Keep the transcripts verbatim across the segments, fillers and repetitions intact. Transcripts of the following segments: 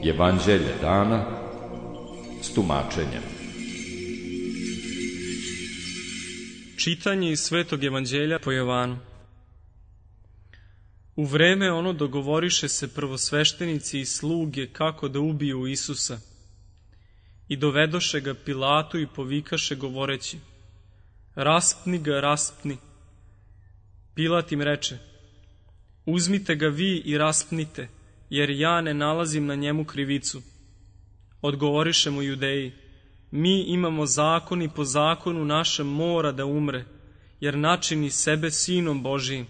Evanđelje dana s tumačenjem. Čitanje iz Svetog evanđelja po Jovanu. U vreme ono dogovoriše se prvosveštenici i sluge kako da ubiju Isusa. I dovedoše ga Pilatu i povikaše govoreći: Raspni ga, raspni. Pilat im reče: Uzmite ga vi i raspnite, jer ja ne nalazim na njemu krivicu. Odgovoriše mu Judeji: Mi imamo zakon i po zakonu našem mora da umre, jer načini sebe sinom Božijim.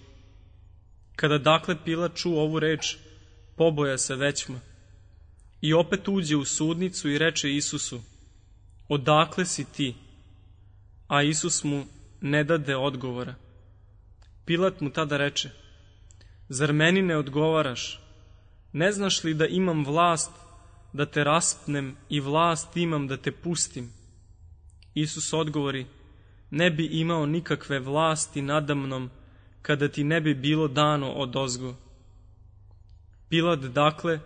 Kada dakle Pilat čuo ovu reč, poboja se većma. I opet uđe u sudnicu i reče Isusu: Odakle si ti? A Isus mu ne dade odgovora. Pilat mu tada reče: Zar meni ne odgovaraš? Ne znaš li da imam vlast da te raspnem i vlast imam da te pustim? Isus odgovori: Ne bi imao nikakve vlasti nadamnom kada ti ne bi bilo dano odozgo. Pilat dakle,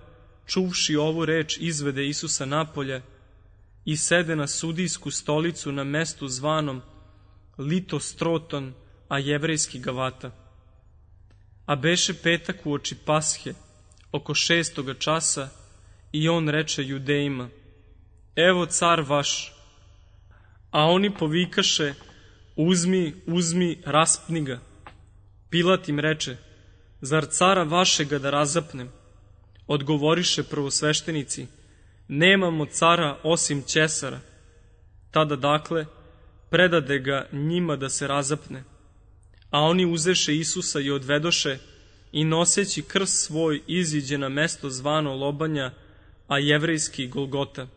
čuvši ovu reč, izvede Isusa napolje i sede na sudijsku stolicu na mestu zvanom Litostroton, a jevrejski Gavata. A beše petak uoči Pashe, oko šestoga časa, i on reče Judejima: Evo car vaš. A oni povikaše: Uzmi, uzmi, raspni ga. Pilat im reče: Zar cara vašega da razapnem? Odgovoriše prvosveštenici: Nemamo cara osim Ćesara. Tada dakle predade ga njima da se razapne. A oni uzeše Isusa i odvedoše i noseći krst svoj iziđe na mesto zvano Lobanja, a jevrejski Golgota.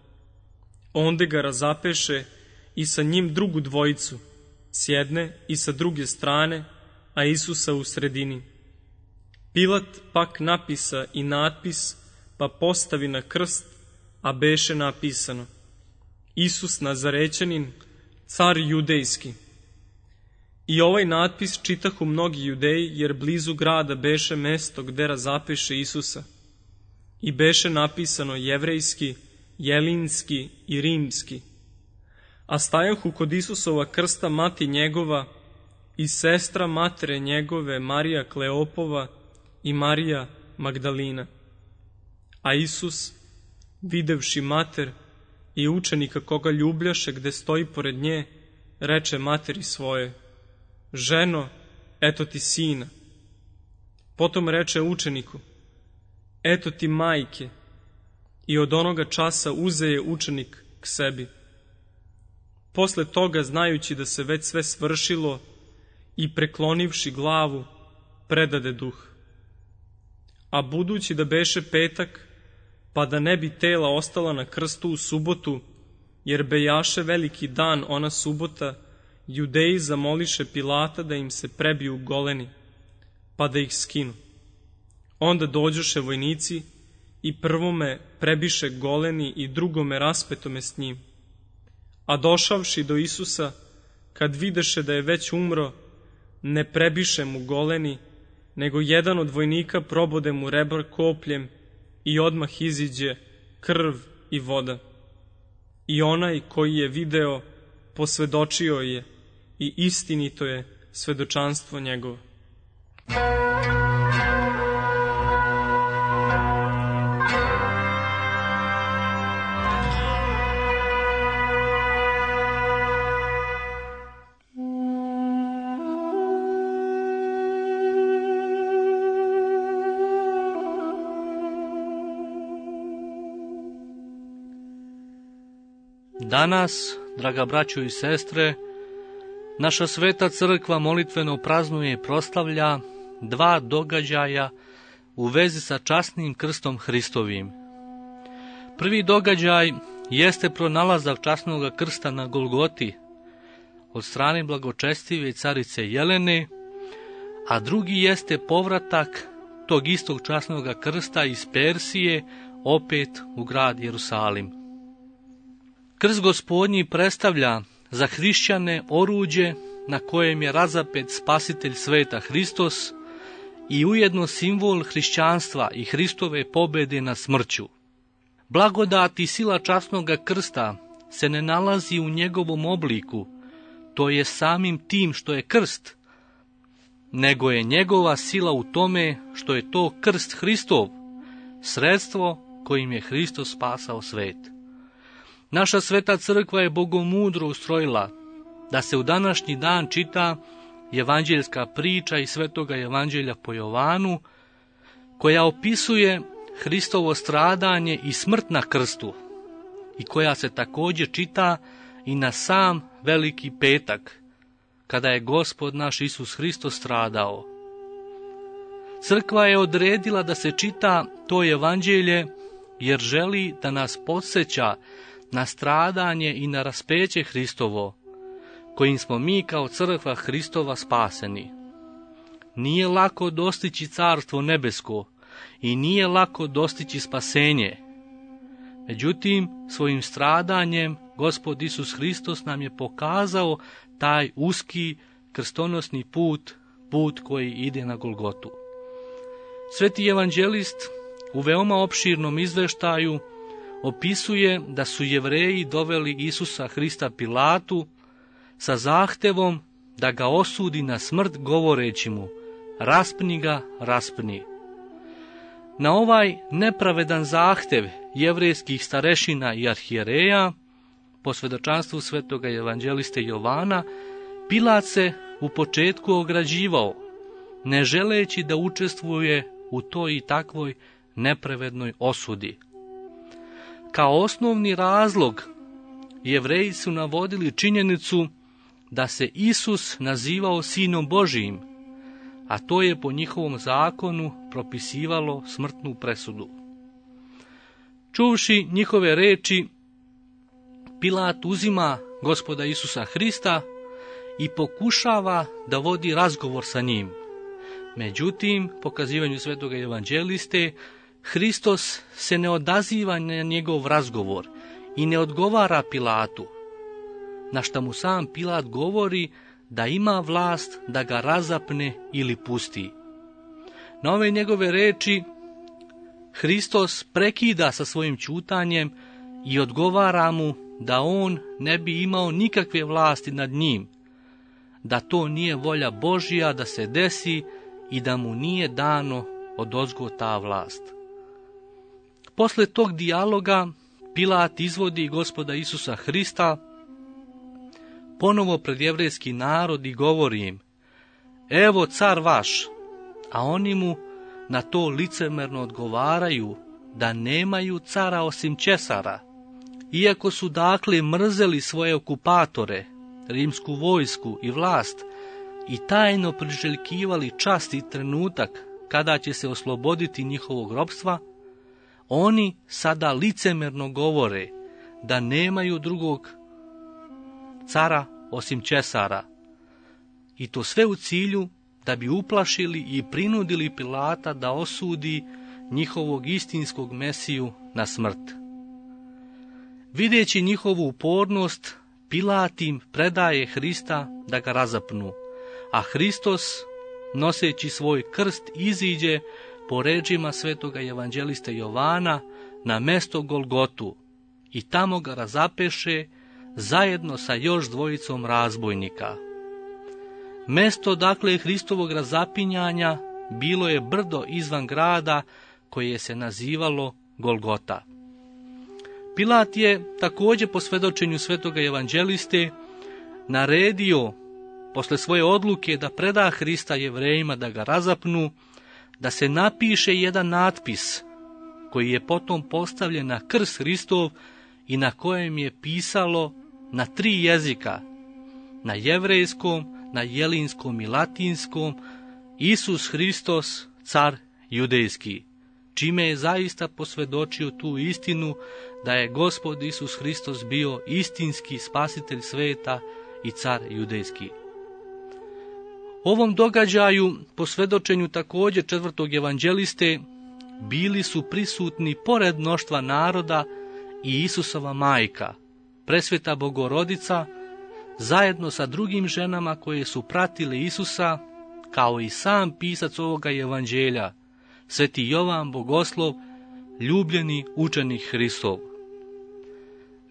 Onde ga razapeše i sa njim drugu dvojicu, s jedne i sa druge strane, a Isusa u sredini. Pilat pak napisa i natpis, pa postavi na krst, a beše napisano: Isus Nazarećanin, car judejski. I ovaj natpis čitahu mnogi Judeji, jer blizu grada beše mesto gde razapeše Isusa. I beše napisano jevrejski, jelinski i rimski. A stajahu kod Isusova krsta mati njegova i sestra matere njegove Marija Kleopova i Marija Magdalina. A Isus, videvši mater i učenika koga ljubljaše gde stoji pored nje, reče materi svoje: Ženo, eto ti sina. Potom reče učeniku: Eto ti majke. I od onoga časa uzeje učenik k sebi. Posle toga, znajući da se već sve svršilo, i preklonivši glavu, predade duh. A budući da beše petak, pa da ne bi tela ostala na krstu u subotu, jer bejaše veliki dan ona subota, Judeji zamoliše Pilata da im se prebiju goleni, pa da ih skinu. Onda dođoše vojnici i prvome prebiše goleni i drugome raspetome s njim. A došavši do Isusa, kad videše da je već umro, ne prebiše mu goleni, nego jedan od vojnika probode mu rebra kopljem i odmah iziđe krv i voda. I onaj koji je video posvedočio je i istinito je svedočanstvo njegovo. Danas, draga braćo i sestre, naša sveta crkva molitveno praznuje i proslavlja dva događaja u vezi sa časnim krstom Hristovim. Prvi događaj jeste pronalazak časnog krsta na Golgoti od strane blagočestive carice Jelene, a drugi jeste povratak tog istog časnog krsta iz Persije opet u grad Jerusalim. Krst Gospodnji predstavlja za hrišćane oruđe na kojem je razapet spasitelj sveta Hristos i ujedno simbol hrišćanstva i Hristove pobjede nad smrću. Blagodat i sila časnoga krsta se ne nalazi u njegovom obliku, to je samim tim što je krst, nego je njegova sila u tome što je to krst Hristov, sredstvo kojim je Hristos spasao svet. Naša sveta crkva je bogomudro ustrojila da se u današnji dan čita evanđeljska priča iz svetoga evanđelja po Jovanu, koja opisuje Hristovo stradanje i smrt na krstu i koja se također čita i na sam Veliki petak, kada je Gospod naš Isus Hristos stradao. Crkva je odredila da se čita to evanđelje jer želi da nas podsjeća na stradanje i na raspeće Hristovo, kojim smo mi kao crkva Hristova spaseni. Nije lako dostići carstvo nebesko i nije lako dostići spasenje. Međutim, svojim stradanjem Gospod Isus Hristos nam je pokazao taj uski krstonosni put, put koji ide na Golgotu. Sveti evanđelist u veoma opširnom izveštaju opisuje da su Jevreji doveli Isusa Hrista Pilatu sa zahtevom da ga osudi na smrt govoreći mu: raspni ga, raspni. Na ovaj nepravedan zahtev jevrejskih starešina i arhijereja, po svedočanstvu svetoga evanđeliste Jovana, Pilat se u početku ograđivao, ne želeći da učestvuje u toj i takvoj nepravednoj osudi. Kao osnovni razlog Jevreji su navodili činjenicu da se Isus nazivao Sinom Božijim, a to je po njihovom zakonu propisivalo smrtnu presudu. Čuvši njihove reči, Pilat uzima Gospoda Isusa Hrista i pokušava da vodi razgovor sa njim. Međutim, po kazivanju svetoga evanđeliste, Hristos se ne odaziva na njegov razgovor i ne odgovara Pilatu, na šta mu sam Pilat govori da ima vlast da ga razapne ili pusti. Na ove njegove reči Hristos prekida sa svojim ćutanjem i odgovara mu da on ne bi imao nikakve vlasti nad njim, da to nije volja Božja da se desi i da mu nije dano odozgo ta vlast. Posle tog dijaloga Pilat izvodi Gospoda Isusa Hrista ponovo pred jevrejski narod i govori im: evo car vaš, a oni mu na to licemerno odgovaraju da nemaju cara osim Česara. Iako su dakle mrzeli svoje okupatore, rimsku vojsku i vlast, i tajno priželjkivali čast i trenutak kada će se osloboditi njihovog ropstva, oni sada licemerno govore da nemaju drugog cara osim Česara. I to sve u cilju da bi uplašili i prinudili Pilata da osudi njihovog istinskog Mesiju na smrt. Videći njihovu upornost, Pilat im predaje Hrista da ga razapnu, a Hristos, noseći svoj krst, iziđe po rečima svetoga evanđeliste Jovana na mesto Golgotu i tamo ga razapeše zajedno sa još dvojicom razbojnika. Mesto dakle Hristovog razapinjanja bilo je brdo izvan grada koje se nazivalo Golgota. Pilat je također po svedočenju svetoga evanđeliste naredio, posle svoje odluke da preda Hrista Jevrejima da ga razapnu, da se napiše jedan natpis koji je potom postavljen na krst Hristov i na kojem je pisalo na tri jezika, na jevrejskom, na jelinskom i latinskom: Isus Hristos, car judejski, čime je zaista posvjedočio tu istinu da je Gospod Isus Hristos bio istinski spasitelj sveta i car judejski. Ovom događaju, po svedočenju također četvrtog evanđeliste, bili su prisutni pored mnoštva naroda i Isusova majka, presveta Bogorodica, zajedno sa drugim ženama koje su pratile Isusa, kao i sam pisac ovoga evanđelja, sveti Jovan Bogoslov, ljubljeni učenik Hristov.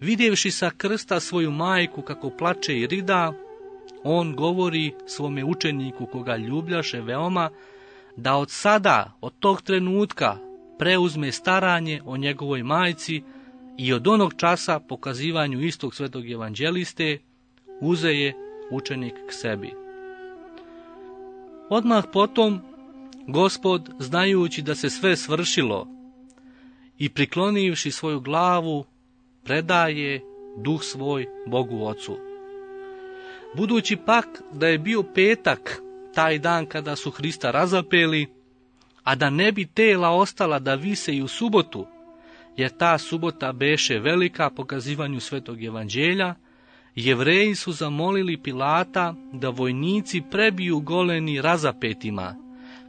Vidjevši sa krsta svoju majku kako plače i rida, on govori svome učeniku koga ljubljaše veoma, da od sada, od tog trenutka, preuzme staranje o njegovoj majci i od onog časa pokazivanju istog svetog evanđeliste uzeje učenik k sebi. Odmah potom, Gospod, znajući da se sve svršilo i priklonivši svoju glavu, predaje duh svoj Bogu Ocu. Budući pak da je bio petak, taj dan kada su Hrista razapeli, a da ne bi tela ostala da vise i u subotu, jer ta subota beše velika pokazivanju svetog evanđelja, Jevreji su zamolili Pilata da vojnici prebiju goleni razapetima,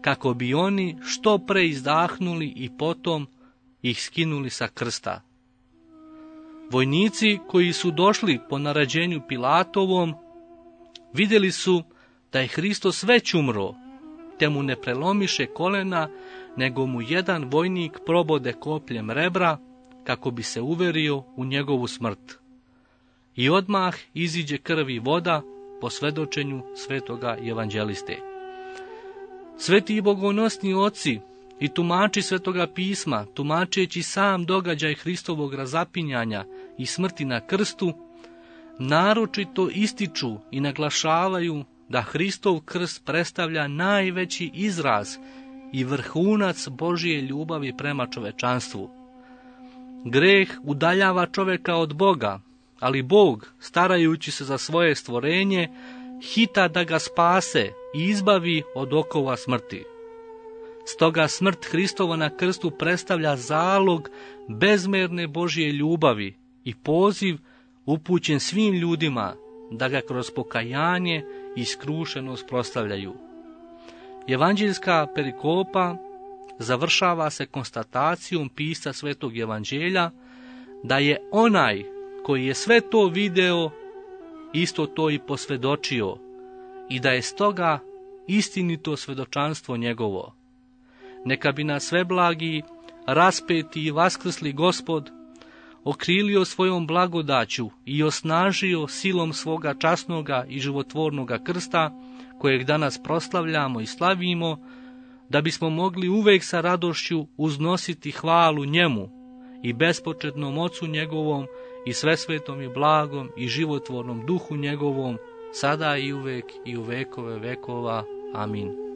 kako bi oni što pre izdahnuli i potom ih skinuli sa krsta. Vojnici koji su došli po naređenju Pilatovom vidjeli su da je Hristos već umro, te mu ne prelomiše kolena, nego mu jedan vojnik probode kopljem rebra, kako bi se uverio u njegovu smrt. I odmah iziđe krv i voda po svedočenju svetoga evanđeliste. Sveti i bogonosni oci i tumači svetoga pisma, tumačeći sam događaj Hristovog razapinjanja i smrti na krstu, naročito ističu i naglašavaju da Hristov krst predstavlja najveći izraz i vrhunac Božije ljubavi prema čovečanstvu. Greh udaljava čoveka od Boga, ali Bog, starajući se za svoje stvorenje, hita da ga spase i izbavi od okova smrti. Stoga smrt Hristova na krstu predstavlja zalog bezmerne Božje ljubavi i poziv upućen svim ljudima da ga kroz pokajanje i skrušenost proslavljaju. Evanđeljska perikopa završava se konstatacijom pisca svetog evanđelja da je onaj koji je sve to video isto to i posvjedočio i da je stoga istinito svjedočanstvo njegovo. Neka bi nas sveblagi, raspeti i vaskrsli Gospod okrilio svojom blagodaću i osnažio silom svoga časnoga i životvornoga krsta, kojeg danas proslavljamo i slavimo, da bismo mogli uvek sa radošću uznositi hvalu njemu i bespočetnom Ocu njegovom i svesvetom i blagom i životvornom duhu njegovom, sada i uvek i u vekove vekova. Amin.